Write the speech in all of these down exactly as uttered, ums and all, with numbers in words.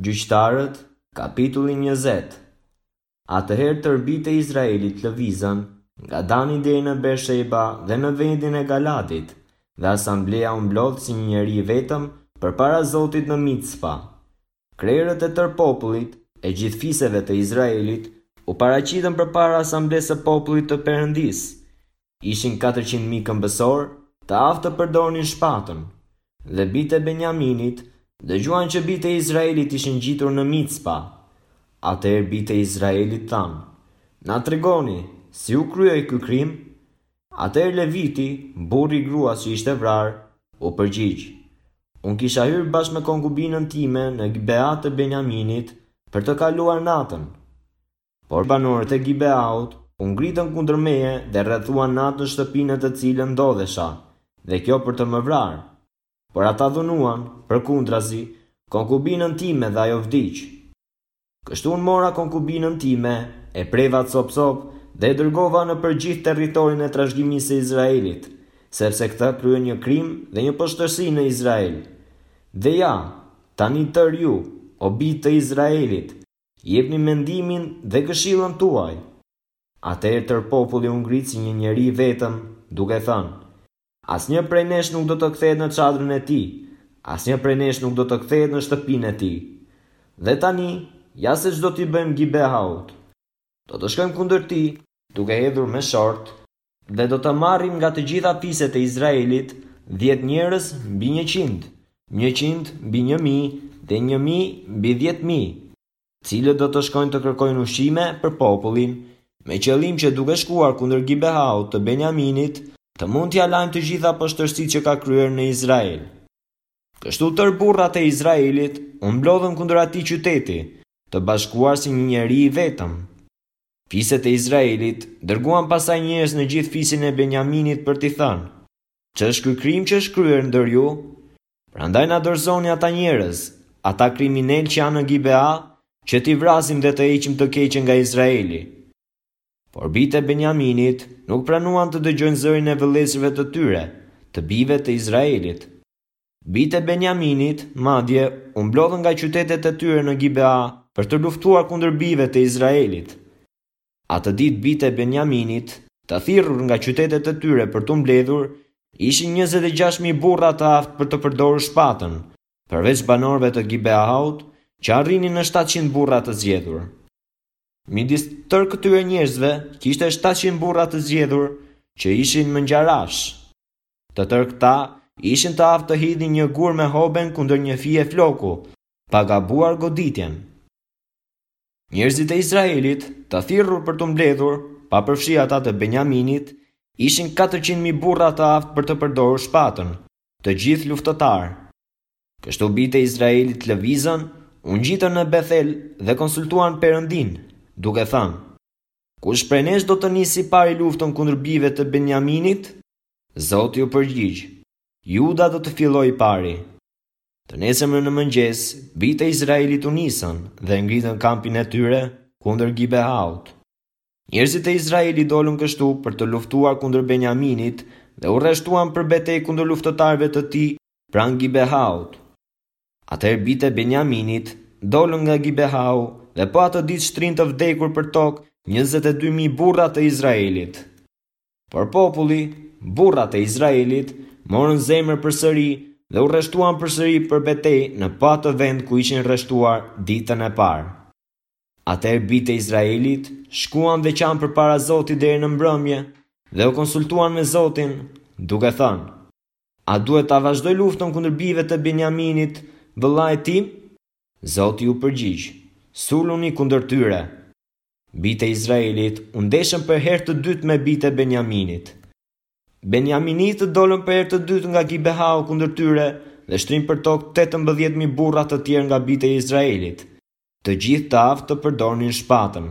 Gjyqtarët, kapitulli njëzet. Atëherë tërë bijtë e Izraelit lëvizën, nga Dani deri në Bersheba dhe në vendin e Galadit, dhe asambleja u mblodh si një njeri i vetëm përpara Zotit në Micpa. Krerët e tërë popullit, e gjithë fiseve të Izraelit, u paraqitën përpara asamblesë së popullit të Perëndisë. Ishin katërqind mijë këmbësorë, të aftë të përdornin shpatën. Dhe bijtë e Benjaminit dëgjuan që bijtë e Izraelit ishin ngjitur në Micpa. Atëherë bijtë e Izraelit thanë: Na tregoni, si u krye ky krim? Atëherë Leviti, burri i gruas që ishte vrarë, u përgjigj: Unë kisha hyrë bashkë me konkubinën time në Gibea të Benjaminit për të kaluar natën. Por banorët e Gibeaut u ngritën kundër meje dhe rrethuan natën shtëpinë në të cilën ndodhesha, dhe kjo për të më vrarë. Por ata dhunuan, përkundrazi, konkubinën time dhe ajo vdiq. Kështu unë mora konkubinën time, e preva copë-copë dhe e dërgova nëpër gjithë territorin e trashëgimisë së Izraelit, sepse këta kryen një krim dhe një poshtërsi në Izrael. Dhe ja, tani tërë ju, o bijë të Izraelit, jepni mendimin dhe këshillën tuaj. Atëherë tërë populli u ngrit si një njeri i vetëm, duke thënë: Asnjë prej nesh nuk do të kthehet në çadrën e tij, asnjë prej nesh nuk do të kthehet në shtëpinë e tij. Dhe tani, ja se ç'do t'i bëjmë Gibeaut. Do të shkojmë kundër tij, duke hedhur me short, dhe do të marrim nga të gjitha fiset e Izraelit dhjetë njerëz mbi njëqind, njëqind mbi një mijë dhe një mijë mbi dhjetë mijë, cilët do të shkojnë të kërkojnë ushqime për popullin, me qëllim që duke shkuar kundër Gibeaut të Benjaminit, të mund t'ia lajmë të gjitha poshtërsitë që ka kryer në Izrael. Kështu tërë burrat e Izraelit u mblodhën kundër atij qyteti, të bashkuar si një njeri i vetëm. Fiset e Izraelit dërguan pastaj njerëz në gjithë fisin e Benjaminit për t'i thënë: Ç'është ky krim që është kryer ndër ju? Prandaj na dorëzoni ata njerëz, ata kriminelë që janë në Gibea, që t'i vrasim dhe të heqim të keqen nga Izraeli. Por bijtë e Benjaminit nuk pranuan të dëgjojnë zërin e vëllezërve të tyre, të bijve të Izraelit. Bijtë e Benjaminit, madje, u mblodhën nga qytetet e tyre në Gibea për të luftuar kundër bijve të Izraelit. Atë ditë bijtë e Benjaminit, të thirrur nga qytetet e tyre për t'u mbledhur, ishin njëzet e gjashtë mijë burra të aftë për të përdorur shpatën, përveç banorëve të Gibeaut, që arrinin në shtatëqind burra të zgjedhur. Midis tërë këtyre njerëzve kishte shtatëqind burra të zgjedhur që ishin mëngjarash. Të tërë këta ishin të aftë të hidhnin një gur me hoben kundër një fije floku, pa gabuar goditjen. Njerëzit e Izraelit, të thirrur për t'u mbledhur, pa përfshi ata të Benjaminit, ishin katërqind mijë burra të aftë për të përdorur shpatën, të gjithë luftëtarë. Kështu bijtë e Izraelit lëvizën, u ngjitën në Bethel dhe konsultuan Perëndin, duke thënë: Kush prej nesh do të nisë i pari luftën kundër bijve të Benjaminit? Zoti u përgjigj: Juda do të fillojë i pari. Të nesërmen në mëngjes, bijtë e Izraelit u nisën dhe ngritën kampin e tyre kundër Gibeaut. Njerëzit e Izraelit dolën kështu për të luftuar kundër Benjaminit dhe u rreshtuan për betejë kundër luftëtarëve të tij pranë Gibeaut. Atëherë bijtë e Benjaminit dolën nga Gibeau dhe po atë ditë shtrin të vdekur për tokë njëzet e dy mijë burra të Izraelit. Por populli, burrat e Izraelit, morën zemër përsëri dhe u rreshtuan përsëri për betejë në po atë vend ku ishin rreshtuar ditën e parë. Atëherë bijtë e Izraelit shkuan dhe qanë përpara Zotit deri në mbrëmje dhe u konsultuan me Zotin, duke thënë: A duhet ta vazhdoj luftën kundër bijve të Benjaminit, vëllait tim? Zoti u përgjigj: Suluni kundër tyre. Bijtë e Izraelit u ndeshën për herë të dytë me bijtë e Benjaminit. Benjaminitët dolën për herë të dytë nga Gibeau kundër tyre dhe shtrin për tokë tetëmbëdhjetë mijë burra të tjerë nga bijtë e Izraelit, të gjithë të aftë të përdornin shpatën.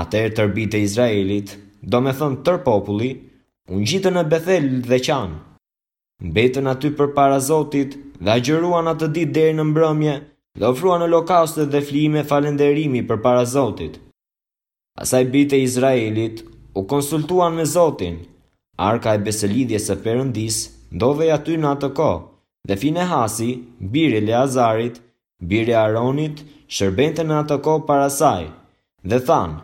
Atëherë tërë bijtë e Izraelit, domethënë tërë populli, u ngjitën në Bethel dhe qanë. Mbetën aty përpara Zotit dhe agjëruan atë ditë deri në mbrëmje dhe ofruan holokaustet dhe flijime falënderimi përpara Zotit. Pastaj bijtë e Izraelit u konsultuan me Zotin. Arka e besëlidhjes së Perëndisë ndodhej aty në atë kohë, dhe Finehasi, biri i Eleazarit, biri i Aaronit, shërbente në atë kohë para saj, dhe thanë: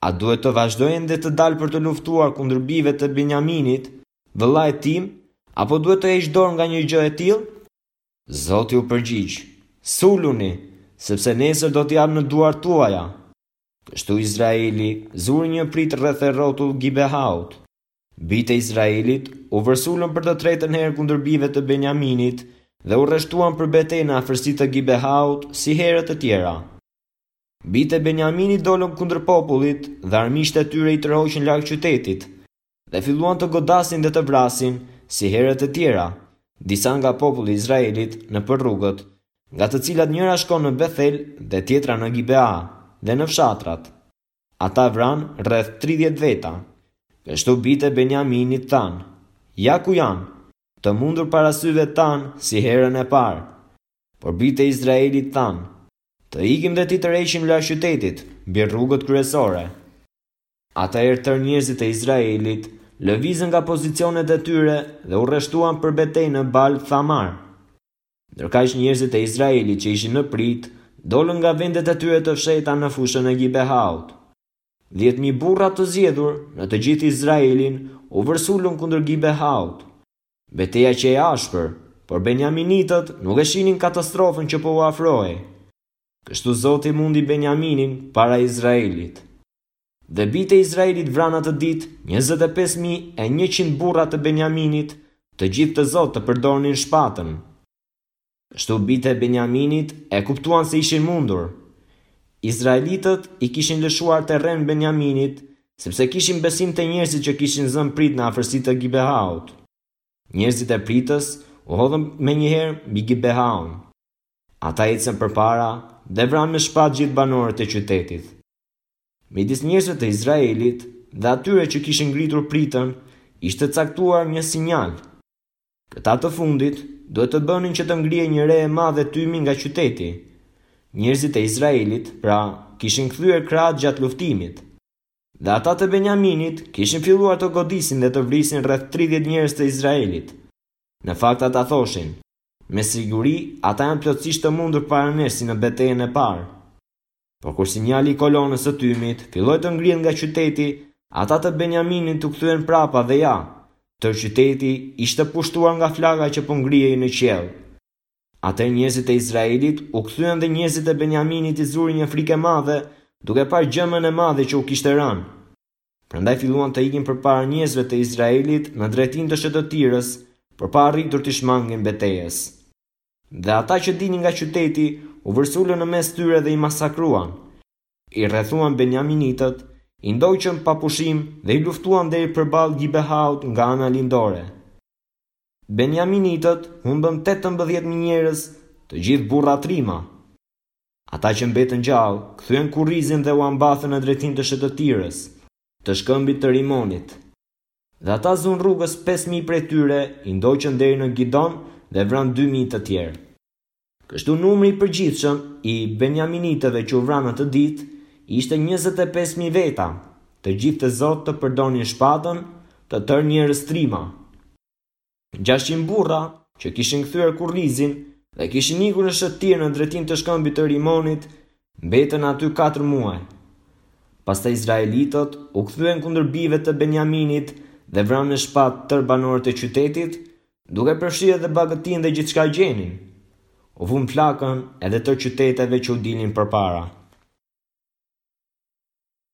A duhet të vazhdoj ende të dal për të luftuar kundër bijve të Benjaminit, vëllait tim, apo duhet të heq dorë nga një gjë e tillë? Zoti u përgjigj: Suluni, sepse nesër do t'i jap në duart tuaja. Kështu Izraeli zuri një pritë rreth e rrotull Gibehaut. Bijtë e Izraelit u vërsulën për të tretën herë kundër bijve të Benjaminit dhe u rreshtuan për betejë në afërsi të Gibehaut si herët e tjera. Bijtë e Benjaminit dolën kundër popullit dhe armiqtë e tyre i tërhoqën larg qytetit dhe filluan të godasin dhe të vrasin si herët e tjera, disa nga populli i Izraelit nëpër rrugët, nga të cilat njëra shkon në Bethel dhe tjetra në Gibea dhe në fshatrat. Ata vranë rreth tridhjetë veta. Kështu bijtë e Benjaminit thanë: Ja ku janë, të mundur para syve tanë si herën e parë. Por bijtë e Izraelit thanë: Të ikim dhe t'i tërheqim larg qytetit, mbi rrugët kryesore. Atëherë tërë njerëzit e Izraelit lëvizën nga pozicionet e tyre dhe u rreshtuan për betejë në Bal Thamar. Ndërkaq njerëzit e Izraelit që ishin në pritë dolën nga vendet e tyre të fshehta në fushën e Gibehaut. Dhjetë mijë burra të zgjedhur në të gjithë Izraelin u vërsulën kundër Gibehaut. Beteja qe e ashpër, por Benjaminitët nuk e shihnin katastrofën që po u afrohej. Kështu Zoti mundi Benjaminin para Izraelit. Dhe bijtë e Izraelit vranë atë ditë njëzet e pesë mijë e njëqind burra të Benjaminit, të gjithë të zotë të përdornin shpatën. Kështu bijtë e Benjaminit e kuptuan se ishin mundur. Izraelitët i kishin lëshuar terren Benjaminit, sepse kishin besim te njerëzit që kishin zënë pritë në afërsi të Gibehaut. Njerëzit e pritës u hodhën menjëherë mbi Gibehaun. Ata ecën përpara dhe vranë me shpatë gjithë banorët e qytetit. Midis njerëzve të Izraelit dhe atyre që kishin ngritur pritën, ishte caktuar një sinjal. Këta të fundit duhet të bënin që të ngrihej një re e madhe tymi nga qyteti. Njerëzit e Izraelit, pra, kishin kthyer krahët gjatë luftimit. Dhe ata të Benjaminit kishin filluar të godisin dhe të vrisin rreth tridhjetë njerëz të Izraelit. Në fakt ata thoshin: Me siguri ata janë plotësisht të mundur para nesh si në betejën e parë. Por kur sinjali i kolonës së tymit filloi të ngrihet nga qyteti, ata të Benjaminit u kthyen prapa dhe ja, tërë qyteti ishte pushtuar nga flaka që po ngrihej në qiell. Atëherë njerëzit e Izraelit u kthyen dhe njerëzit e Benjaminit i zuri një frikë e madhe, duke parë gjëmën e madhe që u kishte rënë. Prandaj filluan të ikin përpara njerëzve të Izraelit në drejtim të shëtëtirës, por pa arritur t'i shmangin betejës. Dhe ata që dilnin nga qyteti u vërsulën në mes tyre dhe i masakruan. I rrethuan Benjaminitët, i ndoqën pa pushim dhe i luftuan deri përballë Gibehaut nga ana lindore. Benjaminitët humbën tetëmbëdhjetë mijë njerëz, të gjithë burra trima. Ata që mbetën gjallë, kthyen kurrizin dhe u ambathën në drejtim të shëtëtirës, të shkëmbit të Rimonit. Dhe ata zunë rrugës pesë mijë prej tyre, i ndoqën deri në Gidon dhe vranë dy mijë të tjerë. Kështu numri i përgjithshëm i Benjaminitëve që u vranë atë ditë ishte njëzet e pesë mijë veta, të gjithë të zotë të përdornin shpatën, të tërë njerëz trima. Gjashtëqind burra që kishin kthyer kurrizin dhe kishin ikur në shëtirë në drejtim të shkëmbit të Rimonit, mbetën aty katër muaj. Pastaj izraelitët u kthyen kundër bijve të Benjaminit dhe vranë në shpatë tërë banorët e qytetit, duke përfshirë edhe bagëtinë dhe gjithçka gjenin. U vunë flakën edhe tërë qyteteve që u dilnin përpara.